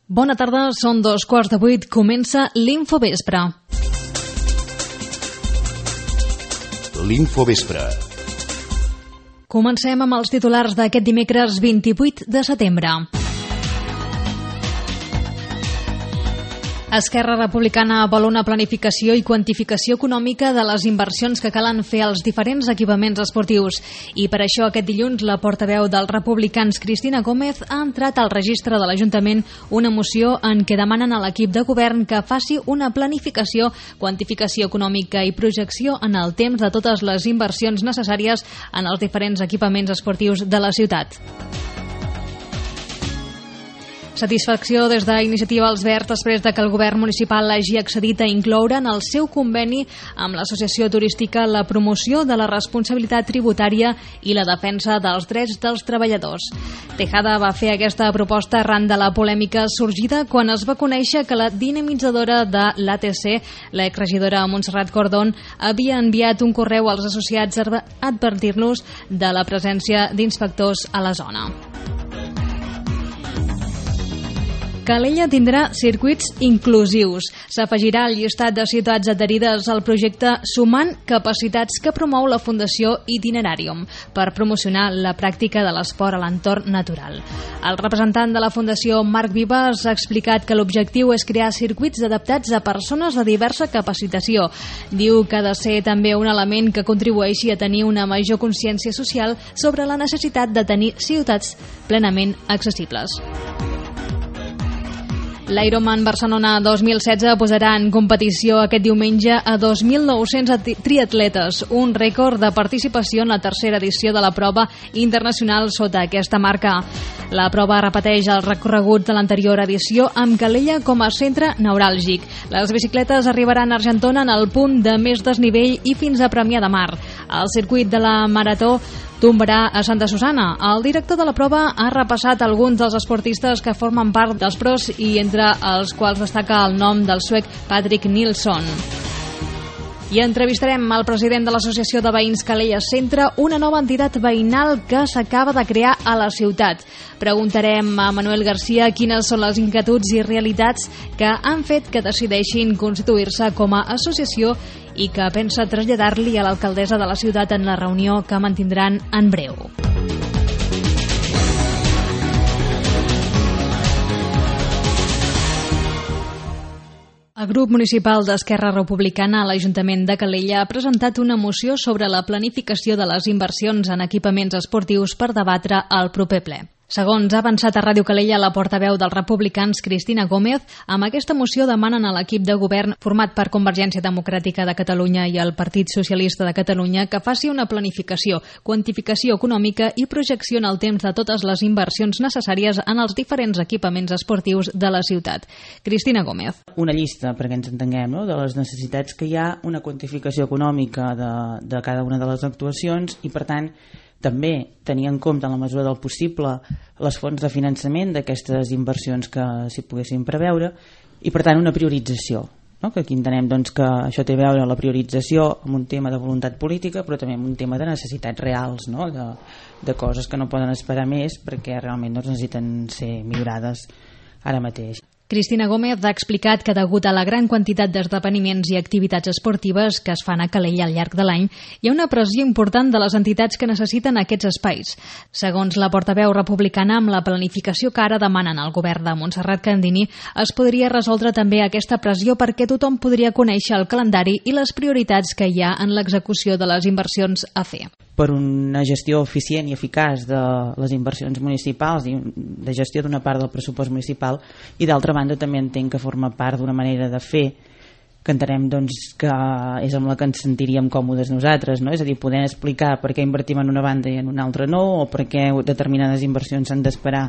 Bona tarda, són 7:15, comença l'Infovespre. L'Infovespre. Comencem amb els titulars d'aquest dimecres 28 de setembre. Esquerra Republicana vol una planificació i quantificació econòmica de les inversions que calen fer als diferents equipaments esportius. I per això aquest dilluns la portaveu dels republicans Cristina Gómez ha entrat al registre de l'Ajuntament una moció en què demanen a l'equip de govern que faci una planificació, quantificació econòmica i projecció en el temps de totes les inversions necessàries en els diferents equipaments esportius de la ciutat. Satisfacció des d'Iniciativa Els Verds després de que el govern municipal hagi accedit a incloure en el seu conveni amb l'Associació Turística la promoció de la responsabilitat tributària i la defensa dels drets dels treballadors. Tejada va fer aquesta proposta arran de la polèmica sorgida quan es va conèixer que la dinamitzadora de l'ATC, l'exregidora Montserrat Cordón, havia enviat un correu als associats a advertir-los de la presència d'inspectors a la zona. Calella tindrà circuits inclusius. S'afegirà al llistat de ciutats adherides al projecte Sumant Capacitats que promou la Fundació Itinerarium per promocionar la pràctica de l'esport a l'entorn natural. El representant de la Fundació, Marc Vives, ha explicat que l'objectiu és crear circuits adaptats a persones de diversa capacitació. Diu que ha de ser també un element que contribueixi a tenir una major consciència social sobre la necessitat de tenir ciutats plenament accessibles. L'Ironman Barcelona 2016 posarà en competició aquest diumenge a 2.900 triatletes, un rècord de participació en la tercera edició de la prova internacional sota aquesta marca. La prova repeteix el recorregut de l'anterior edició amb Calella com a centre neuràlgic. Les bicicletes arribaran a Argentona en el punt de més desnivell i fins a Premià de Mar. El circuit de la marató tombarà a Santa Susana. El director de la prova ha repassat alguns dels esportistes que formen part dels pros i entre els quals destaca el nom del suec Patrick Nilsson. I entrevistarem el president de l'Associació de Veïns Calella Centre, una nova entitat veïnal que s'acaba de crear a la ciutat. Preguntarem a Manuel García quines són les inquietuds i realitats que han fet que decideixin constituir-se com a associació i que pensa traslladar-li a l'alcaldessa de la ciutat en la reunió que mantindran en breu. El grup municipal d'Esquerra Republicana a l'Ajuntament de Calella ha presentat una moció sobre la planificació de les inversions en equipaments esportius per debatre al proper ple. Segons ha avançat a Ràdio Calella la portaveu dels republicans Cristina Gómez, amb aquesta moció demanen a l'equip de govern format per Convergència Democràtica de Catalunya i el Partit Socialista de Catalunya que faci una planificació, quantificació econòmica i projecció en el temps de totes les inversions necessàries en els diferents equipaments esportius de la ciutat. Cristina Gómez. Una llista, perquè ens entenguem, no?, de les necessitats que hi ha, una quantificació econòmica de cada una de les actuacions i, per tant, també tenir en compte en la mesura del possible les fonts de finançament d'aquestes inversions que s'hi poguessin preveure i per tant una priorització, no? Que aquí entenem doncs, que això té a veure la priorització amb un tema de voluntat política però també amb un tema de necessitats reals, no? de coses que no poden esperar més perquè realment doncs, necessiten ser millorades ara mateix. Cristina Gómez ha explicat que degut a la gran quantitat d'esdeveniments i activitats esportives que es fan a Calella al llarg de l'any, hi ha una pressió important de les entitats que necessiten aquests espais. Segons la portaveu republicana, amb la planificació que ara demanen al govern de Montserrat Candini, es podria resoldre també aquesta pressió perquè tothom podria conèixer el calendari i les prioritats que hi ha en l'execució de les inversions a fer. Per una gestió eficient i eficaç de les inversions municipals i de gestió d'una part del pressupost municipal i d'altra banda també entenc que forma part d'una manera de fer que entenem doncs, que és amb la que ens sentiríem còmodes nosaltres, no? És a dir, poder explicar per què invertim en una banda i en una altra no, o per què determinades inversions s'han d'esperar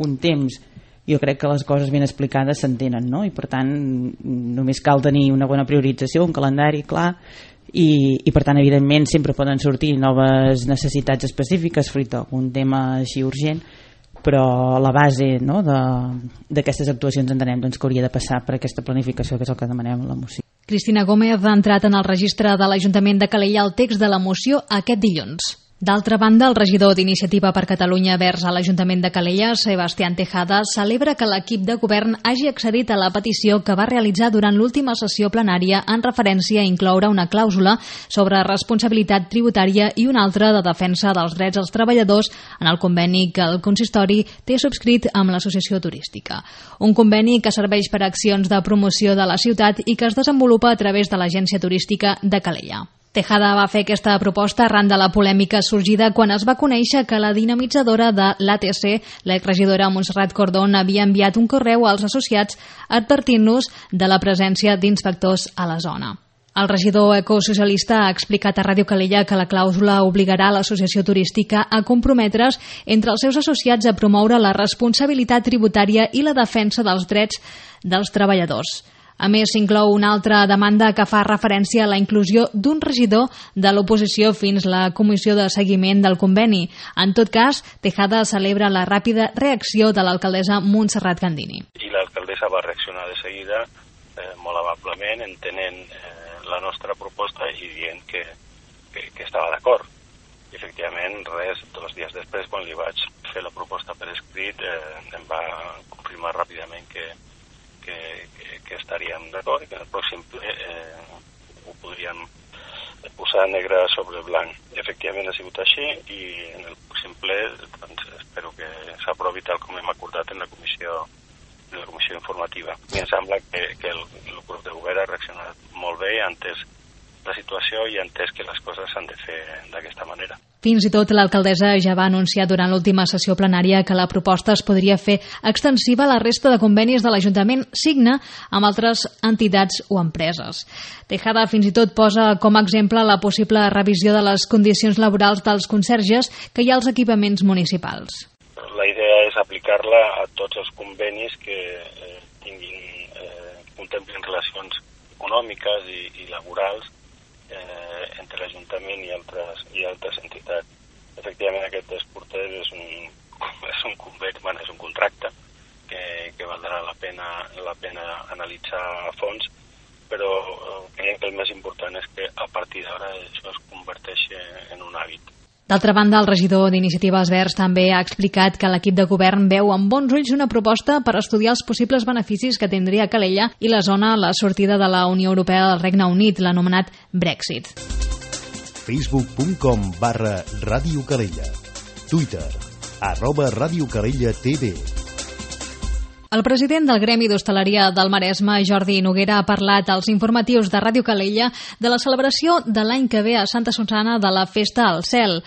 un temps. Jo crec que les coses ben explicades s'entenen, no? I per tant només cal tenir una bona priorització, un calendari clar i per tant evidentment sempre poden sortir noves necessitats específiques fruit d'un tema així urgent, però la base, no, d'aquestes actuacions entenem doncs, que hauria de passar per aquesta planificació que és el que demanem a la moció. Cristina Gómez ha entrat en el registre de l'Ajuntament de Calella el text de la moció aquest dilluns. D'altra banda, el regidor d'Iniciativa per Catalunya Verds a l'Ajuntament de Calella, Sebastián Tejada, celebra que l'equip de govern hagi accedit a la petició que va realitzar durant l'última sessió plenària en referència a incloure una clàusula sobre responsabilitat tributària i una altra de defensa dels drets dels treballadors en el conveni que el consistori té subscrit amb l'Associació Turística. Un conveni que serveix per a accions de promoció de la ciutat i que es desenvolupa a través de l'Agència Turística de Calella. Tejada va fer aquesta proposta arran de la polèmica sorgida quan es va conèixer que la dinamitzadora de l'ATC, l'exregidora Montserrat Cordón, havia enviat un correu als associats advertint-los de la presència d'inspectors a la zona. El regidor ecosocialista ha explicat a Ràdio Calella que la clàusula obligarà l'Associació Turística a comprometre's entre els seus associats a promoure la responsabilitat tributària i la defensa dels drets dels treballadors. A més, s'inclou una altra demanda que fa referència a la inclusió d'un regidor de l'oposició fins la comissió de seguiment del conveni. En tot cas, Tejada celebra la ràpida reacció de l'alcaldessa Montserrat Candini. I l'alcaldessa va reaccionar de seguida, molt amablement, entenent la nostra proposta i dient que estava d'acord. I, efectivament, 2 dies després, quan li vaig fer la proposta per escrit, em va confirmar ràpidament que estaríem d'acord i que en el pròxim ple ho podríem posar negre sobre blanc. Efectivament ha sigut així i en el pròxim ple doncs, espero que s'aprovi tal com hem acordat en la comissió informativa. I em sembla que el grup de govern ha reaccionat molt bé, ha entès la situació i ha entès que les coses s'han de fer d'aquesta manera. Fins i tot l'alcaldessa ja va anunciar durant l'última sessió plenària que la proposta es podria fer extensiva a la resta de convenis de l'Ajuntament signa amb altres entitats o empreses. Tejada fins i tot posa com a exemple la possible revisió de les condicions laborals dels conserges que hi ha als equipaments municipals. La idea és aplicar-la a tots els convenis que contemplin relacions econòmiques i laborals entre l'Ajuntament i altres entitats. Efectivament, aquest dels porters és un conveni, és un contracte que valdrà la pena analitzar a fons, però crec que el més important és que a partir d'ara això es converteixi en un hàbit. D'altra banda, el regidor d'Iniciatives Verds també ha explicat que l'equip de govern veu amb bons ulls una proposta per estudiar els possibles beneficis que tindria Calella i la zona a la sortida de la Unió Europea del Regne Unit, l'anomenat Brexit. Facebook.com/Ràdio Calella. Twitter @Ràdio Calella TV. El president del Gremi d'Hostaleria del Maresme, Jordi Noguera, ha parlat als informatius de Ràdio Calella de la celebració de l'any que ve a Santa Susana de la Festa al Cel.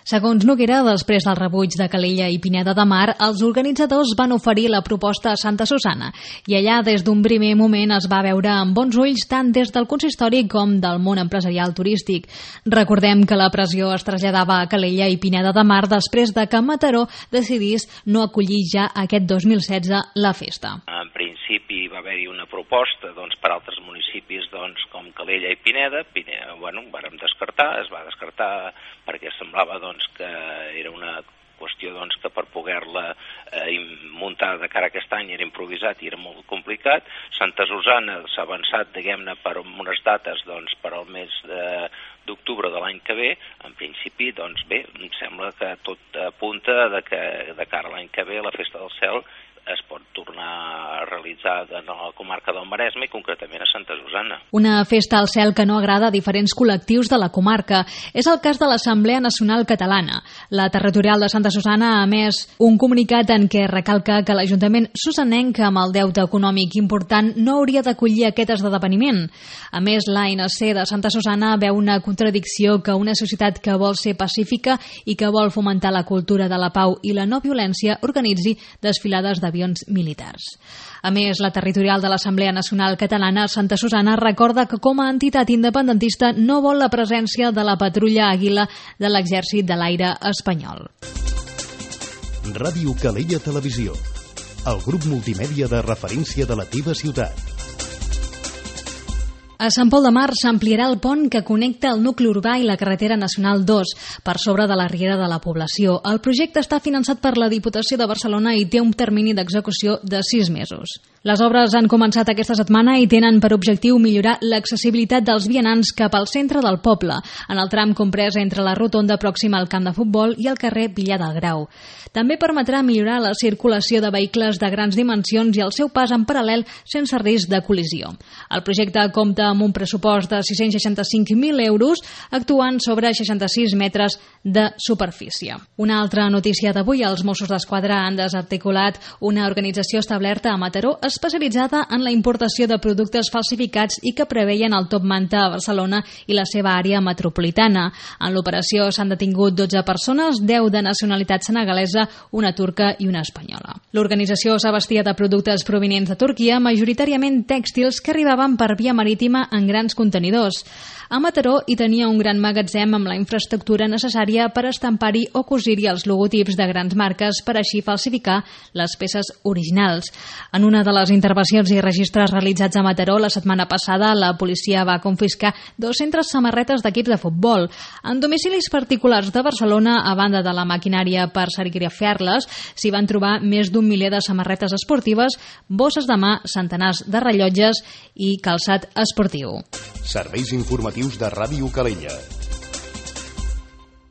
Segons Noguera, després del rebuig de Calella i Pineda de Mar, els organitzadors van oferir la proposta a Santa Susana i allà des d'un primer moment es va veure amb bons ulls tant des del consistori com del món empresarial turístic. Recordem que la pressió es traslladava a Calella i Pineda de Mar després de que Mataró decidís no acollir ja aquest 2016 la festa. En principi va haver-hi una proposta per altres municipis com Calella i Pineda. Vàrem descartar, es va descartar perquè semblava que era una qüestió que per poder-la muntar de cara a aquest any era improvisat i era molt complicat. Santa Susana s'ha avançat, diguem-ne, per unes dates per al mes d'octubre de l'any que ve. En principi, bé, em sembla que tot apunta que de cara a l'any que ve la Festa del Cel es pot tornar a realitzar en la comarca del Maresme i concretament a Santa Susana. Una festa al cel que no agrada a diferents col·lectius de la comarca. És el cas de l'Assemblea Nacional Catalana. La territorial de Santa Susana ha emès un comunicat en què recalca que l'Ajuntament susanenc amb el deute econòmic important no hauria d'acollir aquest esdeveniment. A més, l'ANC de Santa Susana veu una contradicció que una societat que vol ser pacífica i que vol fomentar la cultura de la pau i la no violència organitzi desfilades d'avions militars. A més, la territorial de l'Assemblea Nacional Catalana, Santa Susana, recorda que com a entitat independentista no vol la presència de la patrulla Àguila de l'Exèrcit de l'Aire espanyol. Ràdio Calella Televisió, el grup multimèdia de referència de la teva ciutat. A Sant Pol de Mar s'ampliarà el pont que connecta el nucli urbà i la carretera nacional 2 per sobre de la riera de la població. El projecte està finançat per la Diputació de Barcelona i té un termini d'execució de 6 mesos. Les obres han començat aquesta setmana i tenen per objectiu millorar l'accessibilitat dels vianants cap al centre del poble, en el tram comprès entre la rotonda pròxima al camp de futbol i el carrer Villar del Grau. També permetrà millorar la circulació de vehicles de grans dimensions i el seu pas en paral·lel sense risc de col·lisió. El projecte compta amb un pressupost de 665.000 euros, actuant sobre 66 metres de superfície. Una altra notícia d'avui, els Mossos d'Esquadra han desarticulat una organització establerta a Mataró especialitzada en la importació de productes falsificats i que preveien el top manta a Barcelona i la seva àrea metropolitana. En l'operació s'han detingut 12 persones, 10 de nacionalitat senegalesa, una turca i una espanyola. L'organització s'abastia de productes provinents de Turquia, majoritàriament tèxtils que arribaven per via marítima en grans contenidors. A Mataró hi tenia un gran magatzem amb la infraestructura necessària per estampar-hi o cosir-hi els logotips de grans marques per així falsificar les peces originals. En una de les intervencions i registres realitzats a Mataró la setmana passada, la policia va confiscar 200 samarretes d'equips de futbol. En domicilis particulars de Barcelona, a banda de la maquinària per serigrafiar-les, s'hi van trobar més d'1 miler de samarretes esportives, bosses de mà, centenars de rellotges i calçat esportiu. Serveis informatius de Ràdio Calella.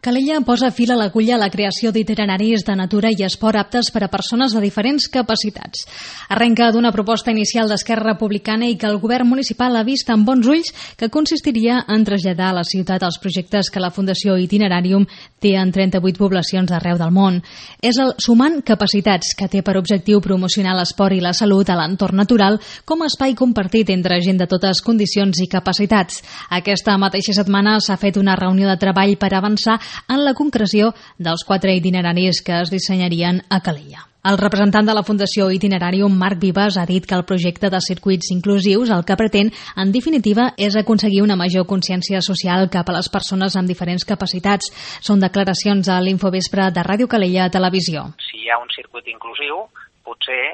Calella posa fil a l'agulla a la creació d'itineraris de natura i esport aptes per a persones de diferents capacitats. Arrenca d'una proposta inicial d'Esquerra Republicana i que el govern municipal ha vist amb bons ulls, que consistiria en traslladar a la ciutat els projectes que la Fundació Itinerarium té en 38 poblacions d'arreu del món. És el Sumant Capacitats, que té per objectiu promocionar l'esport i la salut a l'entorn natural com a espai compartit entre gent de totes condicions i capacitats. Aquesta mateixa setmana s'ha fet una reunió de treball per avançar en la concreció dels 4 itineraris que es dissenyarien a Calella. El representant de la Fundació Itinerarium, Marc Vives, ha dit que el projecte de circuits inclusius el que pretén, en definitiva, és aconseguir una major consciència social cap a les persones amb diferents capacitats. Són declaracions a l'Infovespre de Ràdio Calella Televisió. Si hi ha un circuit inclusiu, potser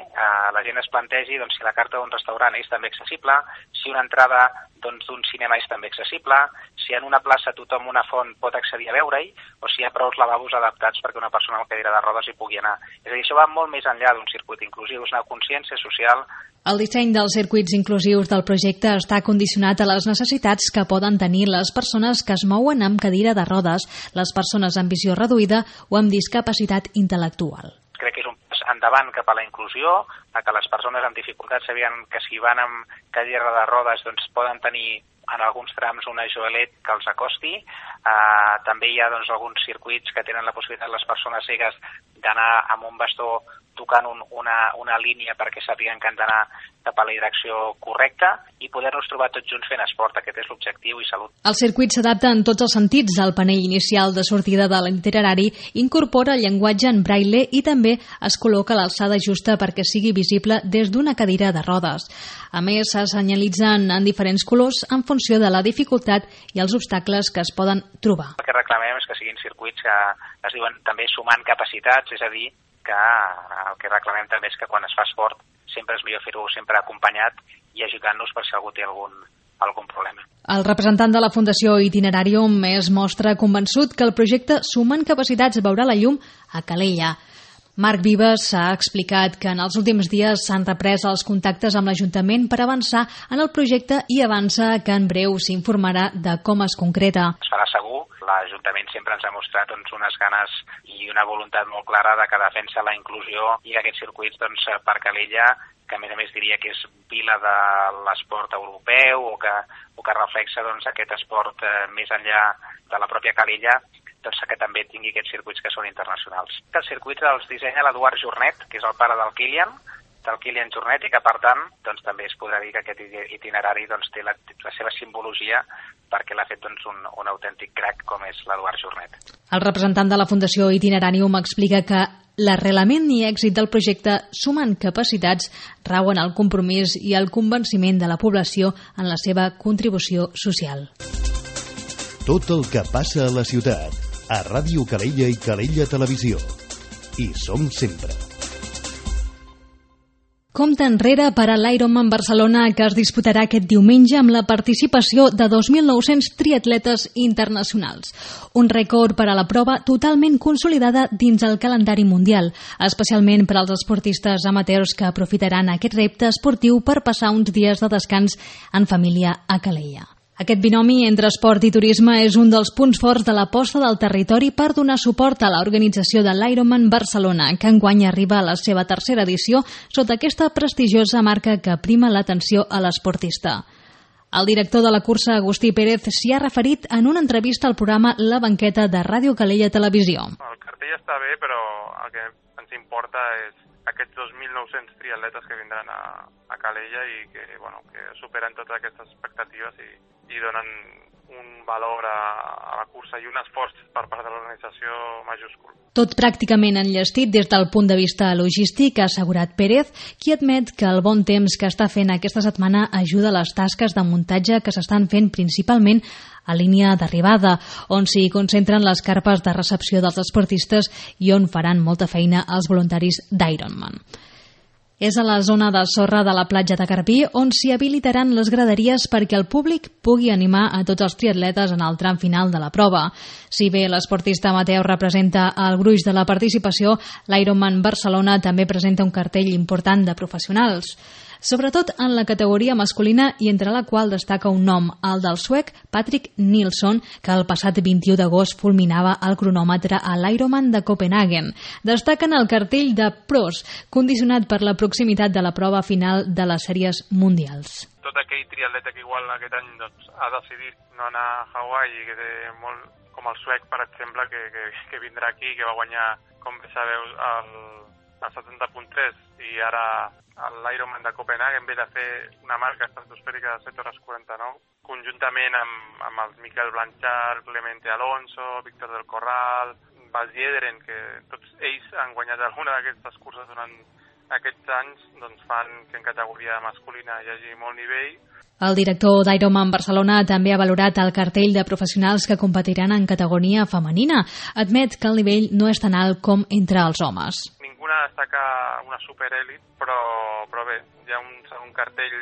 la gent es plantegi si la carta d'un restaurant és també accessible, si una entrada d'un cinema és també accessible, si en una plaça tothom una font pot accedir a veure-hi, o si hi ha prou lavabos adaptats perquè una persona amb cadira de rodes hi pugui anar. És a dir, això va molt més enllà d'un circuit inclusiu, és una consciència social. El disseny dels circuits inclusius del projecte està condicionat a les necessitats que poden tenir les persones que es mouen amb cadira de rodes, les persones amb visió reduïda o amb discapacitat intel·lectual. Crec que és un pas endavant cap a la inclusió, a que les persones amb dificultats sabien que si van amb cadira de rodes poden tenir en alguns trams una joelet que els acosti. També hi ha alguns circuits que tenen la possibilitat les persones cegues d'anar amb un bastó tocant una línia perquè sàpiguen que han d'anar cap a la direcció correcta i poder-nos trobar tots junts fent esport. Aquest és l'objectiu i salut. El circuit s'adapta en tots els sentits. El panell inicial de sortida de l'itinerari incorpora el llenguatge en braille i també es col·loca a l'alçada justa perquè sigui visible des d'una cadira de rodes. A més, se senyalitzen en diferents colors en funció de la dificultat i els obstacles que es poden trobar. El que reclamem és que siguin circuits que es diuen també sumant capacitats, és a dir, que el que reclamem també és que quan es fa esport sempre és millor fer-ho sempre acompanyat i ajudant-nos per si algú té algun problema. El representant de la Fundació Itinerarium es mostra convençut que el projecte Sumant Capacitats veurà la llum a Calella. Marc Vives ha explicat que en els últims dies s'han reprès els contactes amb l'Ajuntament per avançar en el projecte i avança que en breu s'informarà de com es concreta. Es farà segur. L'Ajuntament sempre ens ha mostrat unes ganes i una voluntat molt clara de que defensa la inclusió i aquests circuits per Calella, que a més diria que és vila de l'esport europeu o que reflexa aquest esport més enllà de la pròpia Calella, que també tingui aquests circuits que són internacionals. Els circuits els dissenya l'Eduard Jornet, que és el pare del Kilian Jornet, i que per tant també es podrà dir que aquest itinerari té la seva simbologia perquè l'ha fet un autèntic crac com és l'Eduard Jornet. El representant de la Fundació Itinerarium explica que l'arrelament i èxit del projecte Sumant Capacitats rau en el compromís i el convenciment de la població en la seva contribució social. Tot el que passa a la ciutat, a Ràdio Calella i Calella Televisió. Hi som sempre. Compte enrere per a l'Ironman Barcelona, que es disputarà aquest diumenge amb la participació de 2.900 triatletes internacionals. Un rècord per a la prova totalment consolidada dins el calendari mundial, especialment per als esportistes amateurs que aprofitaran aquest repte esportiu per passar uns dies de descans en família a Calella. Aquest binomi entre esport i turisme és un dels punts forts de l'aposta del territori per donar suport a l'organització de l'Ironman Barcelona, que enguany arriba a la seva tercera edició sota aquesta prestigiosa marca que prima l'atenció a l'esportista. El director de la cursa, Agustí Pérez, s'hi ha referit en una entrevista al programa La Banqueta de Ràdio Calella Televisió. El cartell està bé, però el que ens importa és aquests 2.900 triatletes que vindran a Calella i que superen totes aquestes expectatives i donen un valor a la cursa i un esforç per part de l'organització majúscul. Tot pràcticament enllestit des del punt de vista logístic, ha assegurat Pérez, qui admet que el bon temps que està fent aquesta setmana ajuda a les tasques de muntatge que s'estan fent principalment a línia d'arribada, on s'hi concentren les carpes de recepció dels esportistes i on faran molta feina els voluntaris d'Ironman. És a la zona de sorra de la platja de Garbí on s'hi habilitaran les graderies perquè el públic pugui animar a tots els triatletes en el tram final de la prova. Si bé l'esportista amateur representa el gruix de la participació, l'Ironman Barcelona també presenta un cartell important de professionals, sobretot en la categoria masculina i entre la qual destaca un nom, el del suec Patrick Nilsson, que el passat 21 d'agost fulminava el cronòmetre a l'Ironman de Copenhagen. Destaquen el cartell de pros, condicionat per la proximitat de la prova final de les sèries mundials. Tot aquell triatleta que igual aquest any ha decidit no anar a Hawaii i que té molt, com el suec, per exemple, que vindrà aquí, que va guanyar, com bé sabeu, el 70.3 i ara l'Ironman de Copenhagen ve de fer una marca estratosfèrica de 7 hores 49, conjuntament amb el Miquel Blanchard, Clemente Alonso, Víctor del Corral, Bas Yederen, que tots ells han guanyat alguna d'aquestes curses durant aquests anys, doncs fan que en categoria masculina hi hagi molt nivell. El director d'Ironman Barcelona també ha valorat el cartell de professionals que competiran en categoria femenina. Admet que el nivell no és tan alt com entre els homes. Ninguna destaca una superèlit, però bé, hi ha un segon cartell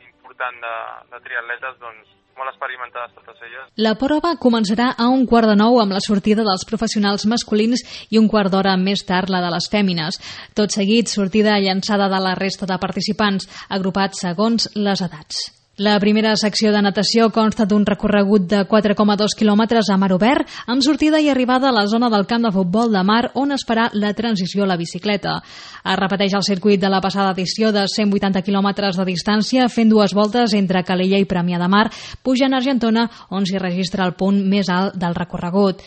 important de triatletes, doncs molt experimentades totes elles. La prova començarà a 8:45 amb la sortida dels professionals masculins i un quart d'hora més tard la de les fèmines. Tot seguit, sortida llançada de la resta de participants, agrupats segons les edats. La primera secció de natació consta d'un recorregut de 4,2 quilòmetres a mar obert, amb sortida i arribada a la zona del camp de futbol de mar on es farà la transició a la bicicleta. Es repeteix el circuit de la passada edició de 180 quilòmetres de distància, fent 2 voltes entre Calella i Premià de Mar, pujant a Argentona, on s'hi registra el punt més alt del recorregut.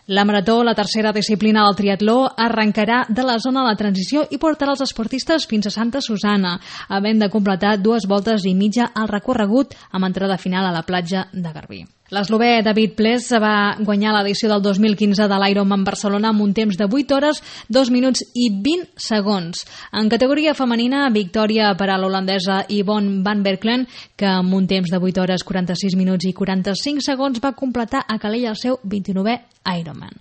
La marató, la tercera disciplina del triatló, arrencarà de la zona de la transició i portarà els esportistes fins a Santa Susana, havent de completar 2 voltes i mitja al recorregut amb entrada final a la platja de Garbí. L'eslovè David Ples va guanyar l'edició del 2015 de l'Ironman Barcelona amb un temps de 8 hores, 2 minuts i 20 segons. En categoria femenina, victòria per a l'holandesa Yvonne van Berkelen, que amb un temps de 8 hores, 46 minuts i 45 segons va completar a Calella el seu 29è Ironman.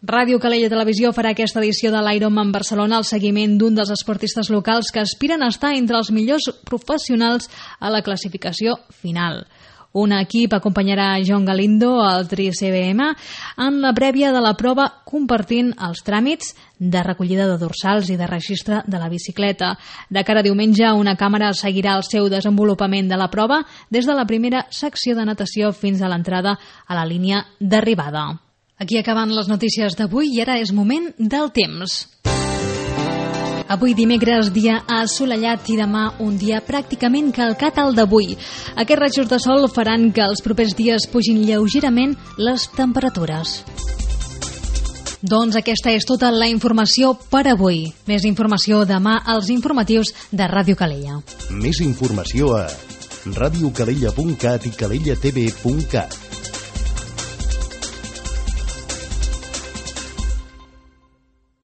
Ràdio Calella Televisió farà aquesta edició de l'Ironman Barcelona al seguiment d'un dels esportistes locals que aspiren a estar entre els millors professionals a la classificació final. Un equip acompanyarà John Galindo, el Tri-CBM, en la prèvia de la prova, compartint els tràmits de recollida de dorsals i de registre de la bicicleta. De cara a diumenge, una càmera seguirà el seu desenvolupament de la prova des de la primera secció de natació fins a l'entrada a la línia d'arribada. Aquí acaben les notícies d'avui i ara és moment del temps. Avui dimecres, dia assolellat i demà un dia pràcticament calcat al d'avui. Aquests rajos de sol faran que els propers dies pugin lleugerament les temperatures. Doncs aquesta és tota la informació per avui. Més informació demà als informatius de Ràdio Calella. Més informació a radiocalella.cat i calellatv.cat.